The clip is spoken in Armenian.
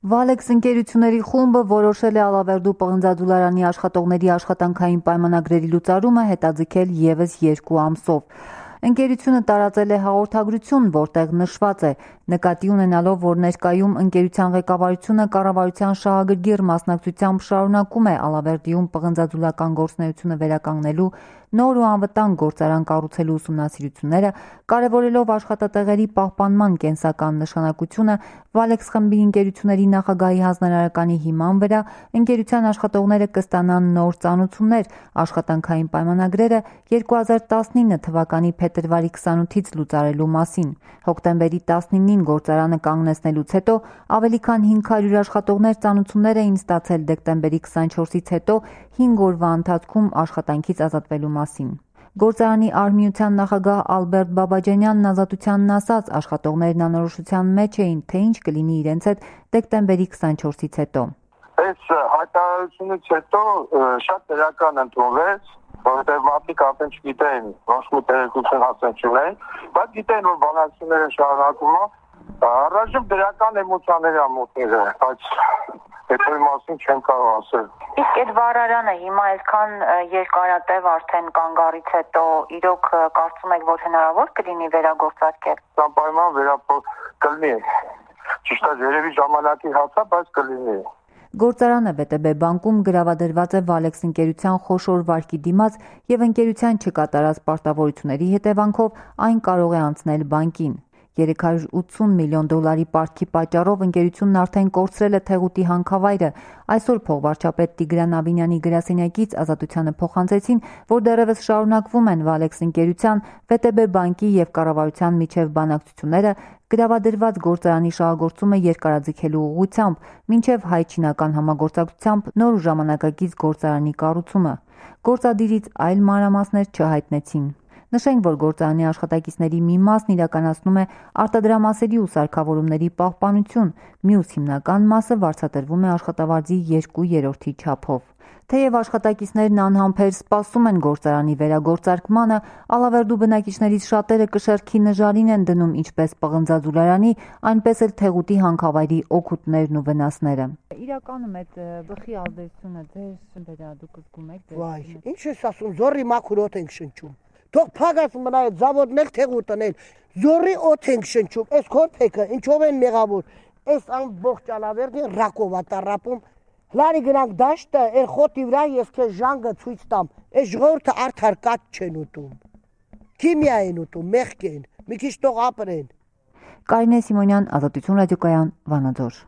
Valex ընկերությունների խումբը որոշել է Ալավերդու պղնձադուլարանի աշխատողների աշխատանքային պայմանագրերի լուծարումը հետաձգել ևս 2 ամսով։ Ընկերությունը տարածել է հաղորդագրություն, որտեղ նշված է. նկատի ունենալով, որ ներկայում ընկերության ղեկավարությունը կառավարության շահագրգիռ մասնակցությամբ շարունակում է Ալավերդիում պղնձադուլական գործունեությունը վերականգնելու, նոր ու անվտանգ գործարան կառուցելու ուսումնասիրությունները, կարևորելով աշխատատեղերի պահպանման կենսական նշանակությունը, Valex խմբի ընկերությունների նախագահի հանձնարարականի հիման վրա ընկերության աշխատողները կստանան նոր ծանոթություններ, աշխատանքային պայմանագրերը 2019 թվականի փետրվարի 28-ից լուծարելու մասին։ Հոկտեմբերի 19-ին գործարանը կանգնեցնելուց հետո ավելի քան 500 աշխատողներ ծանոթություններ էին ստացել դեկտեմբերի 24-ից հետո 5 օրվա ընթացքում աշխատանքից ազատվելու մասին։ Գործարանի արհմիության նախագահ Ալբերտ Բաբաջանյանն ազատությանն ասաց, աշխատողներն անորոշության մեջ էին, թե ինչ կլինի իրենց հետ դեկտեմբերի 24-ից հետո։ Այս հայտարարությունից հետո շատ դրական ընդունվեց, որովհետև մարդիկ արդեն չգիտեն, ոչ մի տեղեկություն հասան չունեն, բայց գիտեն, որ բանակցությունները շարունակվում են, առայժմ դրական էմոցիաներ ամոթները, բայց հետո մասին չեմ կարող ասել։ Իսկ այդ վարարանը հիմա այսքան երկարատև արդեն կանգ առից հետո իրոք կարծում եք, որ հնարավոր կլինի վերագործարկել։ Անպայման կլինի։ Ճիշտ է, երևի ժամանակի հասա, բայց կլինի։ Գործարանը ՎՏԲ բանկում գրավադրված է Valex ընկերության խոշոր վարկի դիմաց եւ ընկերության չկատարած պարտավորությունների հետևանքով այն կարող է անցնել բանկին։ $380 միլիոն պարտքի պատճառով ընկերությունն արդեն կորցրել է թեղուտի հանքավայրը։ Այսօր փոխվարչապետ Տիգրան Աբինյանի գրասենյակից ազատությանը փոխանցեցին, որ դեռևս շարունակվում են Valex ընկերության, ՎՏԲ բանկի եւ կառավարության միջև բանակցությունները գրավադրված գործարանի շահագործումը երկարաձգելու ուղղությամբ, մինչև հայ-չինական համագործակցությամբ նոր ու ժամանակակից գործարանի կառուցումը։ Գործադիրից այլ մանրամասներ չհայտնեցին։ Նշենք, որ գործարանի աշխատակիցների մի մասն իրականացնում է արտադրամասերի ու սարքավորումների պահպանություն, մյուս հիմնական մասը վարձատրվում է աշխատավարձի 2/3 չափով։ Թեև աշխատակիցներն անհամբեր սպասում են գործարանի վերագործարկմանը, Ալավերդու բնակիչներից շատերը կշեռքի նժարին են դնում ինչպես պղնձադուլարանի, այնպես էլ թեղուտի հանքավայրի օգուտներն ու վնասները։ Իրականում այդ բխի ազդեցությունը ձեր վրա դուք զգում եք։ Վայ, ինչ ես ասում, զորի մաքուր օդ ենք շնչում։ Թող փագած մնա այդ զավոդն էլ թեղուտն էլ, զորի օդ ենք շնչում, այս քորփեքը ինչով են մեղավոր, այս ամբողջ Ալավերդին ռակով է տառապում։ Լարի գնանք դաշտը, այդ խոտի վրա ես քեզ ժանգը ցույց տամ, այս ժողովուրդը արդար կաթ չեն ուտում։ Քիմիա են ուտում, մեղք են, մի քիչ թող ապրեն։ Կարինե Սիմոնյան, Ազատություն ռադիոկայան, Վանաձոր։